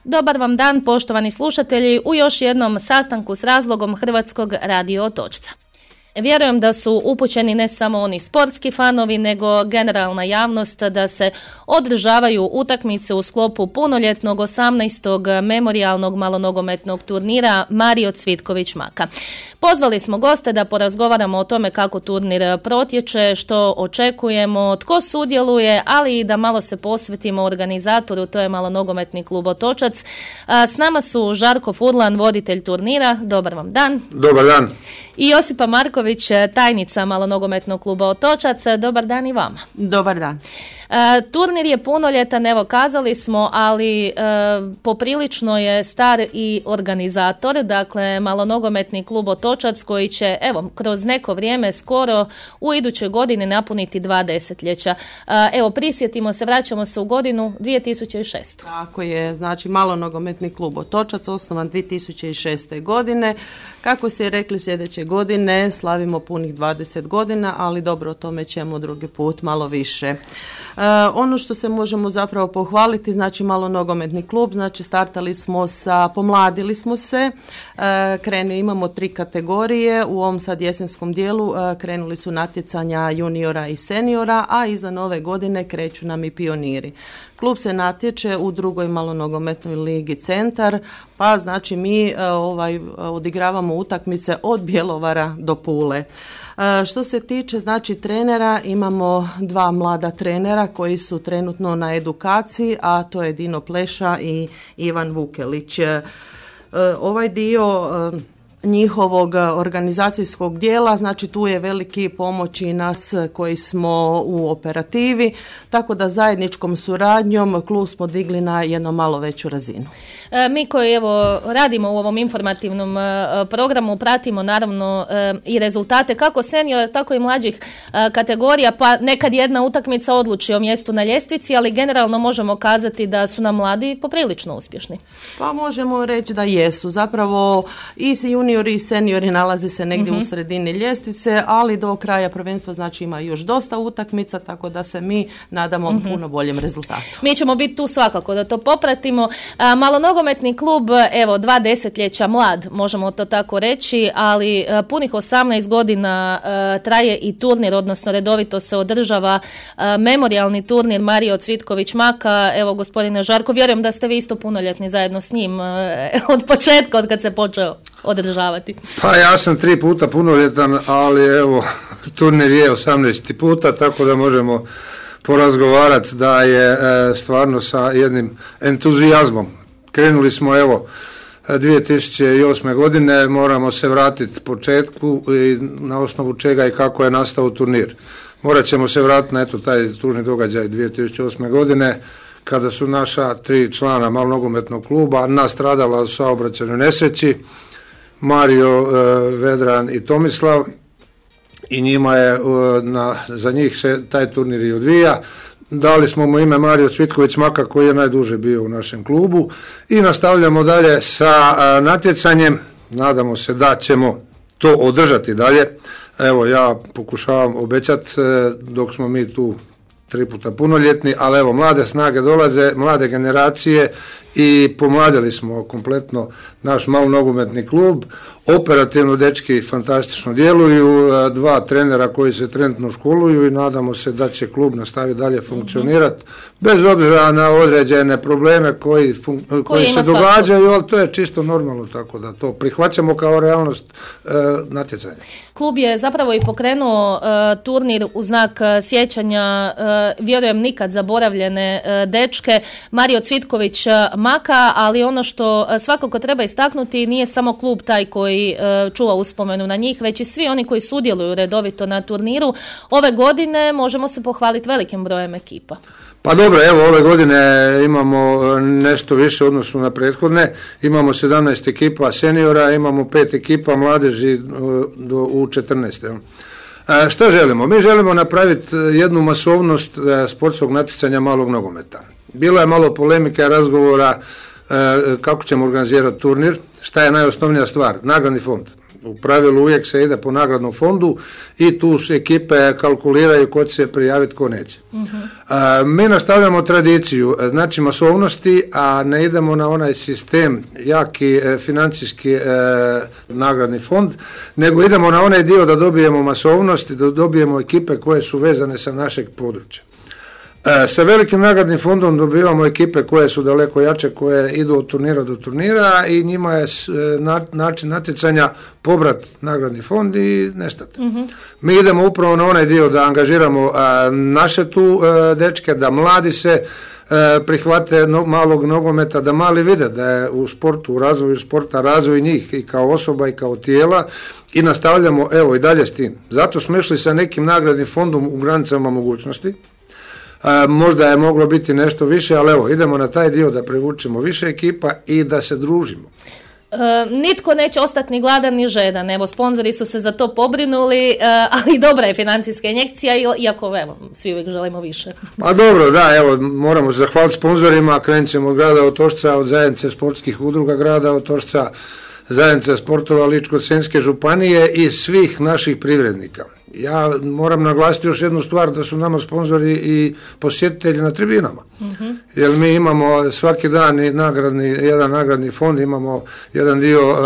Dobar vam dan, poštovani slušatelji, u još jednom sastanku s razlogom Hrvatskog radio Otočca. Vjerujem da su upućeni ne samo oni sportski fanovi, nego generalna javnost da se održavaju utakmice u sklopu punoljetnog 18. memorijalnog malonogometnog turnira Mario Cvitković Maka. Pozvali smo goste da porazgovaramo o tome kako turnir protječe, što očekujemo, tko sudjeluje, ali i da malo se posvetimo organizatoru, to je Malonogometni klub Otočac. S nama su Žarko Furlan, voditelj turnira. Dobar vam dan. Dobar dan. I Josipa Marković, tajnica Malonogometnog kluba Otočac. Dobar dan i vama. Dobar dan. Turnir je punoljetan, evo kazali smo, ali poprilično je star i organizator, dakle Malonogometni klub Otočac koji će evo kroz neko vrijeme skoro u idućoj godini napuniti 2 desetljeća. Evo prisjetimo se, vraćamo se u godinu 2006. Tako je, znači Malonogometni klub Otočac osnovan 2006. godine. Kako ste rekli, sljedeće godine slavimo punih 20 godina, ali dobro, o tome ćemo drugi put malo više. Ono što se možemo zapravo pohvaliti, znači Malonogometni klub, znači pomladili smo se, imamo 3 kategorije, u ovom sad jesenskom dijelu krenuli su natjecanja juniora i seniora, a iza nove godine kreću nam i pioniri. Klub se natječe u 2. Malonogometnoj ligi Centar, pa znači mi odigravamo utakmice od Bjelovara do Pule. Što se tiče znači trenera, imamo 2 mlada trenera koji su trenutno na edukaciji, a to je Dino Pleša i Ivan Vukelić. Ovaj dio njihovog organizacijskog dijela, znači tu je veliki pomoć i nas koji smo u operativi, tako da zajedničkom suradnjom klub smo digli na jedno malo veću razinu. Mi koji evo radimo u ovom informativnom programu pratimo naravno i rezultate kako seniora tako i mlađih kategorija, pa nekad jedna utakmica odluči o mjestu na ljestvici, ali generalno možemo kazati da su nam mladi poprilično uspješni. Pa možemo reći da jesu, zapravo i juniori i seniori nalazi se negdje u sredini ljestvice, ali do kraja prvenstva znači ima još dosta utakmica, tako da se mi nadamo puno boljem rezultatu. Mi ćemo biti tu svakako da to popratimo. Malonogometni klub, evo 2 desetljeća mlad, možemo to tako reći, ali punih 18 godina traje i turnir, odnosno redovito se održava memorijalni turnir Mario Cvitković Maka. Evo gospodine Žarko, vjerujem da ste vi isto punoljetni zajedno s njim od početka, od kad se počeo održavati. Pa ja sam 3 puta punoljetan, ali evo turnir je 18 puta, tako da možemo porazgovarati da je stvarno sa jednim entuzijazmom. Krenuli smo evo 2008. godine, moramo se vratiti početku i na osnovu čega i kako je nastao turnir. Morat ćemo se vratiti na taj tužni događaj 2008. godine kada su naša 3 člana Malonogometnog kluba nastradala u saobraćajnoj nesreći, Mario, Vedran i Tomislav, i njima je, za njih se taj turnir i odvija. Dali smo mu ime Mario Cvitković Maka koji je najduže bio u našem klubu i nastavljamo dalje sa natjecanjem. Nadamo se da ćemo to održati dalje. Evo ja pokušavam obećati dok smo mi tu 3 puta punoljetni, ali evo mlade snage dolaze, mlade generacije i pomladili smo kompletno naš Malonogometni klub. Operativno dečki fantastično djeluju, 2 trenera koji se trenutno školuju i nadamo se da će klub nastaviti dalje funkcionirati bez obzira na određene probleme koji se događaju, ali to je čisto normalno, tako da to prihvaćamo kao realnost natjecanja. Klub je zapravo i pokrenuo turnir u znak sjećanja, vjerujem nikad zaboravljene dečke, Mario Cvitković Maka, ali ono što svakako treba istaknuti, nije samo klub taj koji čuva uspomenu na njih, već i svi oni koji sudjeluju redovito na turniru. Ove godine možemo se pohvaliti velikim brojem ekipa. Pa dobro, evo ove godine imamo nešto više u odnosu na prethodne, imamo 17 ekipa seniora, imamo 5 ekipa mladeži u 14. Što želimo? Mi želimo napraviti jednu masovnost sportskog natjecanja malog nogometa. Bilo je malo polemike, razgovora kako ćemo organizirati turnir, šta je najosnovnija stvar, nagradni fond. U pravilu uvijek se ide po nagradnom fondu i tu se ekipe kalkuliraju ko će se prijaviti, ko neće. Mi nastavljamo tradiciju, znači masovnosti, a ne idemo na onaj sistem jaki financijski nagradni fond, nego idemo na onaj dio da dobijemo masovnost i da dobijemo ekipe koje su vezane sa našeg područja. Sa velikim nagradnim fondom dobivamo ekipe koje su daleko jače, koje idu od turnira do turnira i njima je način natjecanja pobrat nagradni fond i nestati. Mi idemo upravo na onaj dio da angažiramo naše tu dečke, da mladi se prihvate malog nogometa, da mali vide da je u sportu, u razvoju sporta, razvoj njih i kao osoba i kao tijela i nastavljamo evo i dalje s tim. Zato smo išli sa nekim nagradnim fondom u granicama mogućnosti. Možda je moglo biti nešto više, ali evo, idemo na taj dio da privučemo više ekipa i da se družimo. Nitko neće ostati ni gladan ni žedan, evo sponzori su se za to pobrinuli, ali dobra je financijska injekcija, iako evo, svi uvijek želimo više. Pa dobro, da, evo, moramo zahvaliti sponzorima, krenut ćemo od grada Otočca, od zajednice sportskih udruga grada Otočca, zajednice sportova Ličko-senjske županije i svih naših privrednika. Ja moram naglasiti još jednu stvar, da su nama sponzori i posjetitelji na tribinama. Jer mi imamo svaki dan jedan nagradni fond, imamo jedan dio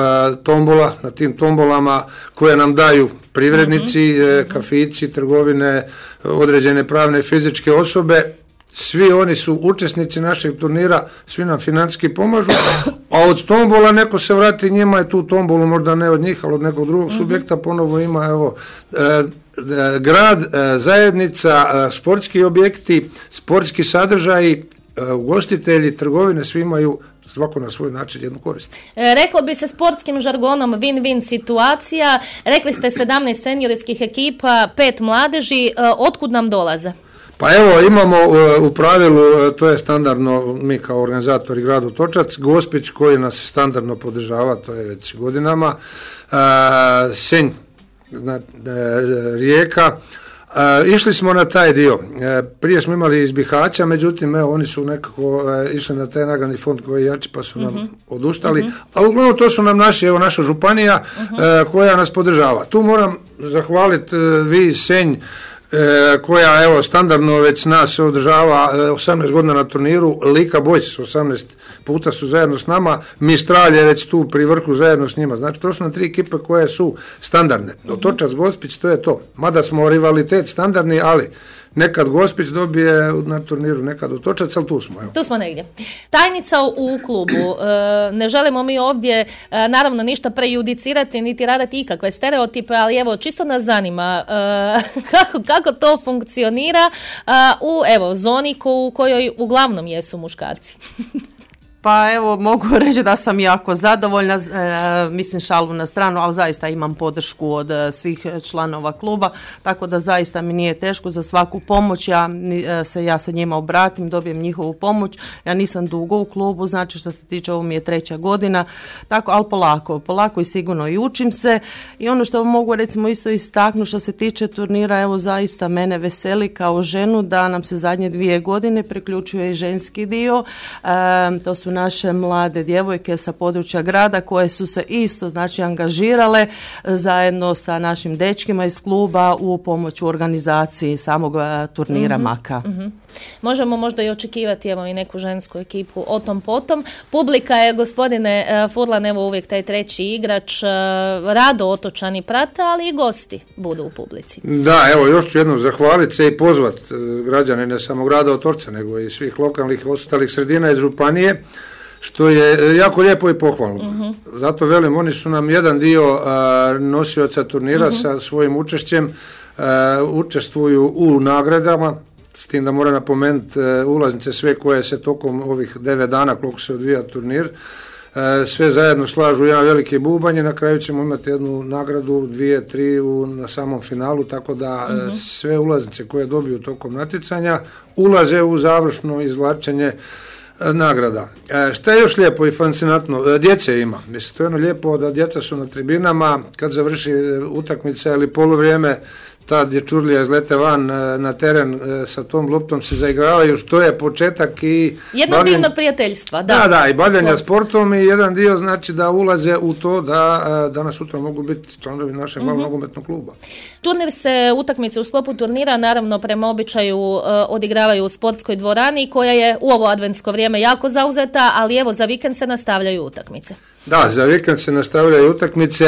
tombola, na tim tombolama koje nam daju privrednici, kafići, trgovine, određene pravne i fizičke osobe. Svi oni su učesnici našeg turnira, svi nam financijski pomažu, a od tombola neko se vrati, njima je tu tombolu, možda ne od njih, ali od nekog drugog subjekta ponovo ima, evo, grad, zajednica, sportski objekti, sportski sadržaji, ugostitelji, trgovine, svi imaju svako na svoj način jednu korist. Reklo bi se sportskim žargonom win-win situacija, rekli ste 17 seniorskih ekipa, 5 mladeži, otkud nam dolaze? Pa evo, imamo u pravilu, to je standardno, mi kao organizatori grad Otočac, Gospić koji nas standardno podržava, to je već godinama, Senj, Rijeka, išli smo na taj dio. Prije smo imali iz Bihaća, međutim, evo, oni su nekako išli na taj nagradni fond koji je jači, pa su nam odustali, ali uglavnom to su nam naša županija koja nas podržava. Tu moram zahvaliti vi Senj, koja evo standardno već nas održava 18 godina na turniru, Lika Boys 18 puta su zajedno s nama, Mistral je već tu pri vrhu zajedno s njima, znači to su nam 3 ekipe koje su standardne. Otočac, Gospić, to je to, mada smo rivalitet standardni, ali nekad Gospić dobije na turniru, nekad Otočac, ali tu smo. Evo. Tu smo negdje. Tajnica u klubu. Ne želimo mi ovdje naravno ništa prejudicirati, niti raditi ikakve stereotipe, ali evo, čisto nas zanima kako to funkcionira u zoni u kojoj uglavnom jesu muškarci. Pa evo, mogu reći da sam jako zadovoljna, mislim šalu na stranu, ali zaista imam podršku od svih članova kluba, tako da zaista mi nije teško za svaku pomoć, ja se njima obratim, dobijem njihovu pomoć, ja nisam dugo u klubu, znači što se tiče, ovo mi je 3. godina, tako, ali polako i sigurno i učim se i ono što mogu recimo isto istaknuti što se tiče turnira, evo zaista mene veseli kao ženu da nam se zadnje 2 godine priključuje i ženski dio, to su naše mlade djevojke sa područja grada koje su se isto znači angažirale zajedno sa našim dečkima iz kluba u pomoć u organizaciji samog turnira Maka. Možemo možda i očekivati evo i neku žensku ekipu o tom potom. Publika je, gospodine Furlan, evo uvijek taj 3. igrač, rado Otočani prate, ali i gosti budu u publici. Da, evo još ću jednom zahvaliti se i pozvati građane ne samo grada Otočca, nego i svih lokalnih ostalih sredina iz županije, što je jako lijepo i pohvalno. Zato velim, oni su nam jedan dio nosioca turnira sa svojim učešćem, učestvuju u nagradama, s tim da moram napomenuti ulaznice sve koje se tokom ovih 9 dana koliko se odvija turnir, sve zajedno slažu jedan veliki bubanj i na kraju ćemo imati jednu nagradu, 2, 3 na samom finalu, tako da sve ulaznice koje dobiju tokom natjecanja ulaze u završno izvlačenje nagrada. Šta je još lijepo i fascinantno? Djece ima. Mislim, to je ono lijepo da djeca su na tribinama, kad završi utakmica ili poluvrijeme, ta dječurlija izlete van na teren sa tom loptom se zaigravaju, što je početak i jednog divnog prijateljstva. Da, i bavljenja sportom i jedan dio znači da ulaze u to da danas sutra mogu biti članovi našeg malog nogometnog kluba. Turnir se, utakmice u sklopu turnira naravno prema običaju odigravaju u sportskoj dvorani koja je u ovo adventsko vrijeme jako zauzeta, ali evo za vikend se nastavljaju utakmice. Da, za vikend se nastavljaju utakmice,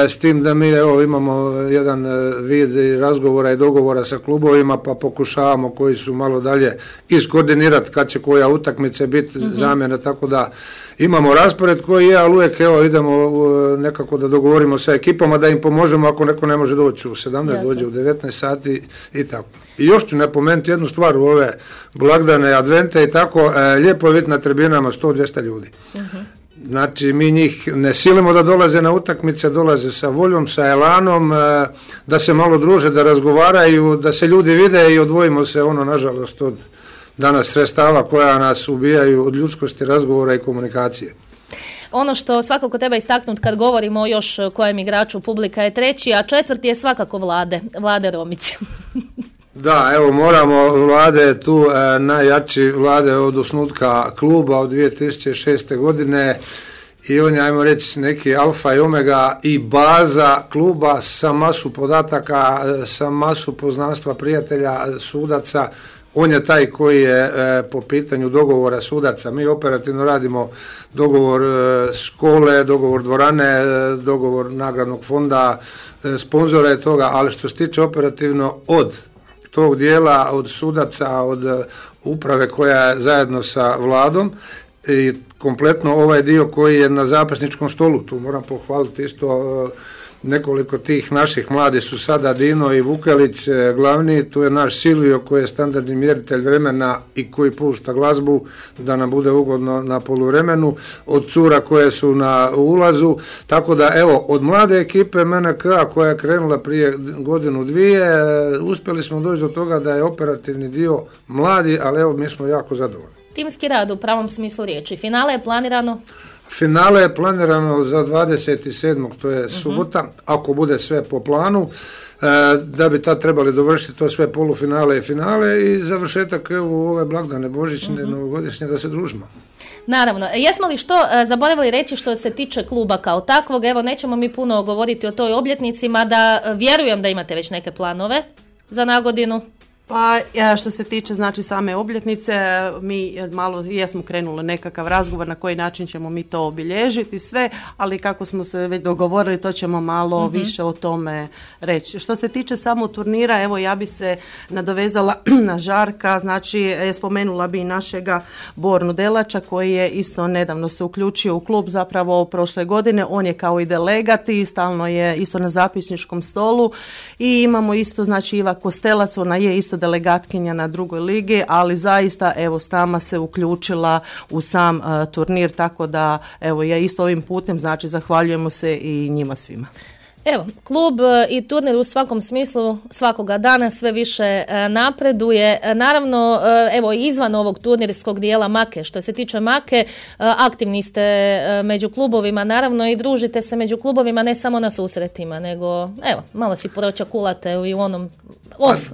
s tim da mi imamo jedan vid razgovora i dogovora sa klubovima, pa pokušavamo koji su malo dalje iskoordinirati kad će koja utakmica biti zamjena, tako da imamo raspored koji je, ali uvijek idemo nekako da dogovorimo sa ekipama da im pomožemo ako neko ne može doći u 17, jasno, dođe u 19 sati i tako. I još ću napomenuti jednu stvar u ove blagdane, advente i tako, lijepo je vidjeti na tribinama 100-200 ljudi. Znači, mi njih ne silimo da dolaze na utakmice, dolaze sa voljom, sa elanom, da se malo druže, da razgovaraju, da se ljudi vide i odvojimo se nažalost od danas sredstava koja nas ubijaju od ljudskosti, razgovora i komunikacije. Ono što svakako treba istaknuti kad govorimo o još kojem igraču publika je treći, a četvrti je svakako Vlade Romić. Da, evo moramo, Vlade je tu najjači, Vlade od osnutka kluba od 2006. godine i on je, ajmo reći, neki alfa i omega i baza kluba sa masu podataka, sa masu poznanstva prijatelja, sudaca. On je taj koji je po pitanju dogovora sudaca. Mi operativno radimo dogovor škole, dogovor dvorane, dogovor nagradnog fonda, sponzora i toga, ali što se tiče operativno od tog dijela, od sudaca, od uprave koja je zajedno sa Vladom i kompletno ovaj dio koji je na zapisničkom stolu, tu moram pohvaliti isto nekoliko tih naših mladih su sada Dino i Vukelić glavni, tu je naš Silvio koji je standardni mjeritelj vremena i koji pušta glazbu da nam bude ugodno na poluvremenu, od cura koje su na ulazu, tako da evo od mlade ekipe MNK koja je krenula prije godinu dvije, uspjeli smo doći do toga da je operativni dio mladi, ali evo mi smo jako zadovoljni. Timski rad u pravom smislu riječi. Finale je planirano? Finale je planirano za 27. to je subota, ako bude sve po planu, da bi tad trebali dovršiti to sve polufinale i finale i završetak u ove blagdane božićne, novogodišnje da se družimo. Naravno. Jesmo li što zaboravili reći što se tiče kluba kao takvog? Evo, nećemo mi puno govoriti o toj obljetnici, mada vjerujem da imate već neke planove za nagodinu. Pa što se tiče znači same obljetnice, mi malo jesmo krenuli nekakav razgovor na koji način ćemo mi to obilježiti sve, ali kako smo se već dogovorili to ćemo malo više o tome reći. Što se tiče samog turnira, evo ja bi se nadovezala na Žarka, znači spomenula bi našega Bornu Delača koji je isto nedavno se uključio u klub zapravo prošle godine, on je kao i delegat i stalno je isto na zapisničkom stolu i imamo isto znači Iva Kostelac, ona je isto delegatkinja na drugoj ligi, ali zaista evo s nama se uključila u sam turnir, tako da evo ja isto ovim putem znači zahvaljujemo se i njima svima. Evo, klub i turnir u svakom smislu svakoga dana sve više napreduje. Naravno, evo izvan ovog turnirskog dijela Make, što se tiče Make, aktivni ste među klubovima, naravno i družite se među klubovima ne samo na susretima, nego evo, malo si pročakulate i u onom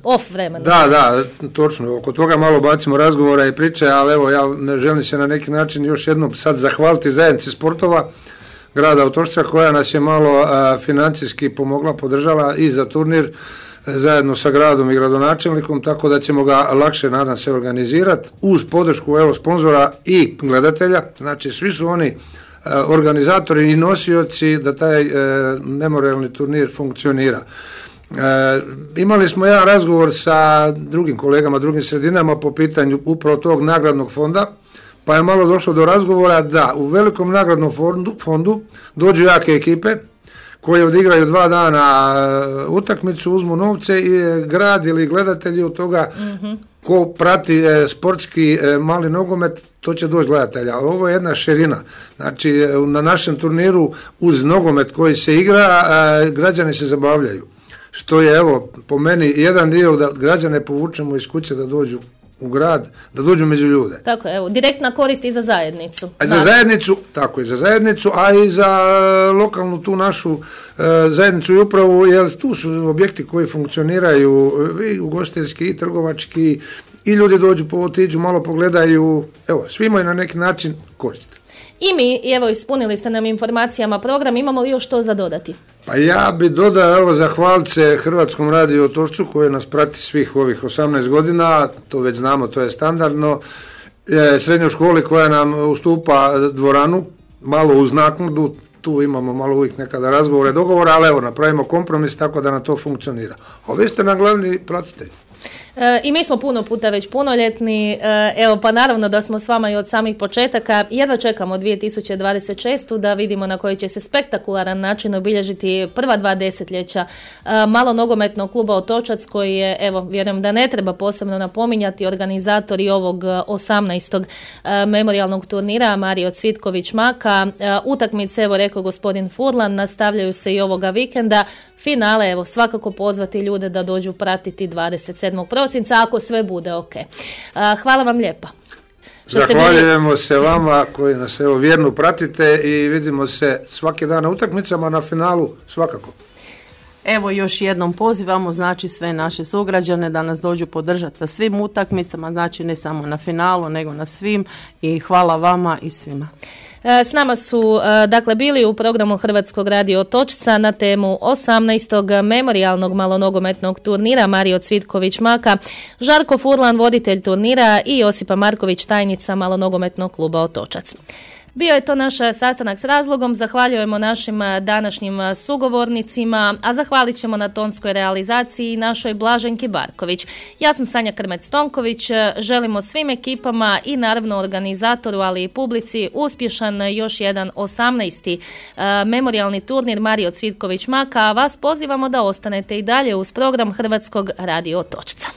off vremenu. Da, točno, oko toga malo bacimo razgovora i priče, ali evo ja želim se na neki način još jednom sad zahvaliti zajednici sportova grada Otočca koja nas je malo financijski pomogla, podržala i za turnir zajedno sa gradom i gradonačelnikom, tako da ćemo ga lakše, nadam se, organizirati uz podršku evo sponzora i gledatelja, znači svi su oni organizatori i nosioci da taj memorijalni turnir funkcionira. Imali smo jedan razgovor sa drugim kolegama, drugim sredinama po pitanju upravo tog nagradnog fonda, pa je malo došlo do razgovora da u velikom nagradnom fondu dođu jake ekipe koje odigraju 2 dana utakmicu, uzmu novce i grad ili gledatelji od toga ko prati sportski mali nogomet, to će doći gledatelja. Ovo je jedna širina. Znači, na našem turniru uz nogomet koji se igra, građani se zabavljaju. Što je, evo, po meni jedan dio da građane povučemo iz kuće da dođu u grad, da dođu među ljude. Tako je, evo, direktna korist i za zajednicu. A za zajednicu, tako je, za zajednicu, a i za lokalnu tu našu zajednicu i upravu, jer tu su objekti koji funkcioniraju i ugostiteljski i trgovački i ljudi dođu, otiđu, malo pogledaju, evo, svi imaju na neki način korist. I mi, evo, ispunili ste nam informacijama program, imamo li još to za dodati? Pa ja bi dodao, evo, zahvalit se Hrvatskom radiju Otočcu koji nas prati svih ovih 18 godina, to već znamo, to je standardno, srednjoj školi koja nam ustupa dvoranu, malo uz naknadu, tu imamo malo uvijek nekada razgovore, dogovore, ali evo, napravimo kompromis tako da na to funkcionira. A vi ste nam glavni pratitelji. I mi smo puno puta već punoljetni, evo pa naravno da smo s vama i od samih početaka, jedva čekamo 2026. da vidimo na koji će se spektakularan način obilježiti prva 2 desetljeća malo nogometnog kluba Otočac koji je, evo vjerujem da ne treba posebno napominjati, organizatori ovog 18. memorijalnog turnira Mario Cvitković Maka. Utakmice, evo rekao gospodin Furlan, nastavljaju se i ovoga vikenda. Finale, evo svakako pozvati ljude da dođu pratiti 27. prosinca ako sve bude ok. Hvala vam lijepa. Zahvaljujemo se vama koji nas evo vjerno pratite i vidimo se svaki dan na utakmicama, na finalu svakako. Evo još jednom pozivamo, znači sve naše sugrađane da nas dođu podržati na svim utakmicama, znači ne samo na finalu nego na svim i hvala vama i svima. S nama su dakle bili u programu Hrvatskog radio Otočca na temu 18. memorijalnog malonogometnog turnira Mario Cvitković Maka, Žarko Furlan, voditelj turnira i Josipa Marković, tajnica malonogometnog kluba Otočac. Bio je to naš sastanak s razlogom, zahvaljujemo našim današnjim sugovornicima, a zahvalit ćemo na tonskoj realizaciji našoj Blaženki Barković. Ja sam Sanja Krmec-Tonković, želimo svim ekipama i naravno organizatoru, ali i publici uspješan još jedan 18. memorijalni turnir Mario Cvitković Maka, a vas pozivamo da ostanete i dalje uz program Hrvatskog radio Otočca.